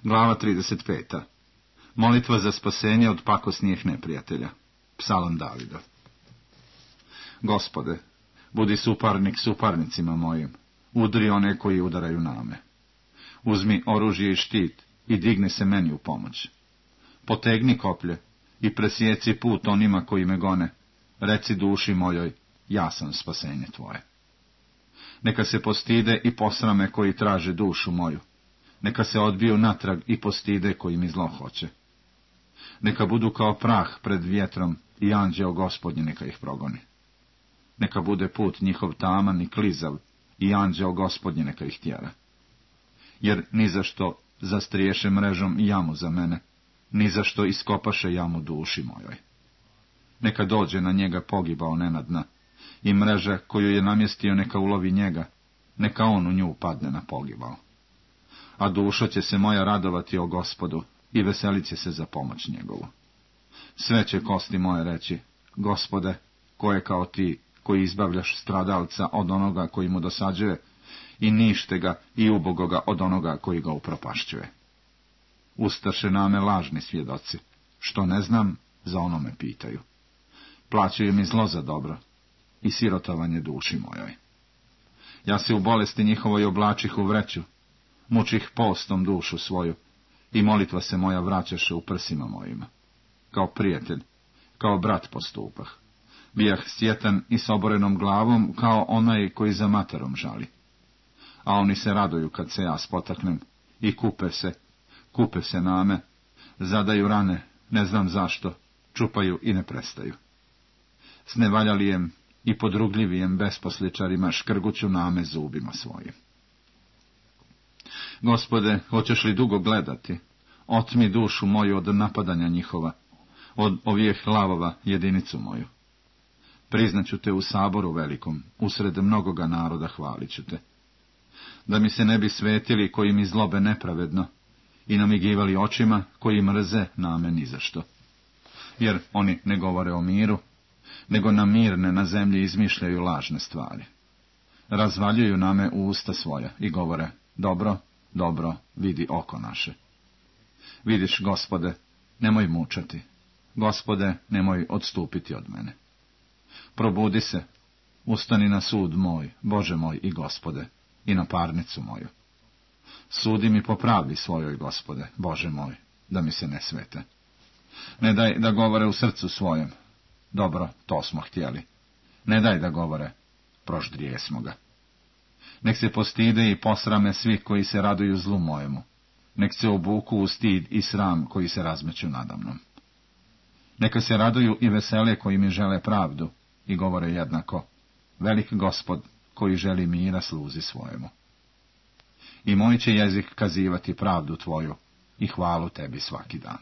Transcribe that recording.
Glava 35. Molitva za spasenje od pakosnijih neprijatelja. Psalam Davida. Gospode, budi suparnik suparnicima mojim, udri one koji udaraju na me. Uzmi oružje i štit i digni se meni u pomoć. Potegni koplje i presjeci put onima koji me gone. Reci duši mojoj, ja sam spasenje tvoje. Neka se postide i posrame koji traže dušu moju. Neka se odbiju natrag i postide koji mi zlo hoće. Neka budu kao prah pred vjetrom i anđeo Gospodnji neka ih progoni. Neka bude put njihov taman i klizav i anđeo Gospodnji neka ih tjera. Jer ni zašto zastriješe mrežom jamu za mene, ni zašto iskopaše jamu duši mojoj. Neka dođe na njega pogibao nenadna i mreža koju je namjestio neka ulovi njega, neka on u nju padne na pogibao. A duša će se moja radovati o Gospodu i veselit će se za pomoć njegovu. Sve će kosti moje reći, Gospode, ko je kao ti, koji izbavljaš stradalca od onoga koji mu dosađuje i nište ga i ubogoga od onoga koji ga upropašćuje. Ustaše name lažni svjedoci, što ne znam, za ono me pitaju. Plaćaju mi zlo za dobro i sirotovanje duši mojoj. Ja se u bolesti njihovoj oblačih u vreću, mučih postom dušu svoju, i molitva se moja vraćaše u prsima mojima. Kao prijatelj, kao brat postupah. Bijah sjetan i s oborenom glavom, kao onaj koji za materom žali. A oni se raduju kad se ja spotaknem, i kupe se name, zadaju rane, ne znam zašto, čupaju i ne prestaju. S nevaljalijem i podrugljivijem besposličarima škrguću name zubima svojim. Gospode, hoćeš li dugo gledati? Otmi dušu moju od napadanja njihova, od ovih lavova jedinicu moju. Priznaću te u saboru velikom, usred mnogoga naroda hvalit ću te. Da mi se ne bi svetili koji mi zlobe nepravedno i namigivali očima koji mrze name nizašto. Jer oni ne govore o miru, nego na mirne na zemlji izmišljaju lažne stvari. Razvaljuju name u usta svoja i govore, dobro, dobro, vidi oko naše. Vidiš, Gospode, nemoj mučati. Gospode, nemoj odstupiti od mene. Probudi se, ustani na sud moj, Bože moj i Gospode, i na parnicu moju. Sudi mi po pravdi svojoj, Gospode, Bože moj, da mi se ne svete. Ne daj da govore u srcu svojem, dobro, to smo htjeli. Ne daj da govore, proždrije smo ga. Nek se postide i posrame svi koji se raduju zlu mojemu. Nek se obuku u stid i sram koji se razmeću nadamnom. Neka se raduju i vesele koji mi žele pravdu i govore jednako, velik Gospod koji želi mira sluzi svojemu. I moj će jezik kazivati pravdu tvoju i hvalu tebi svaki dan.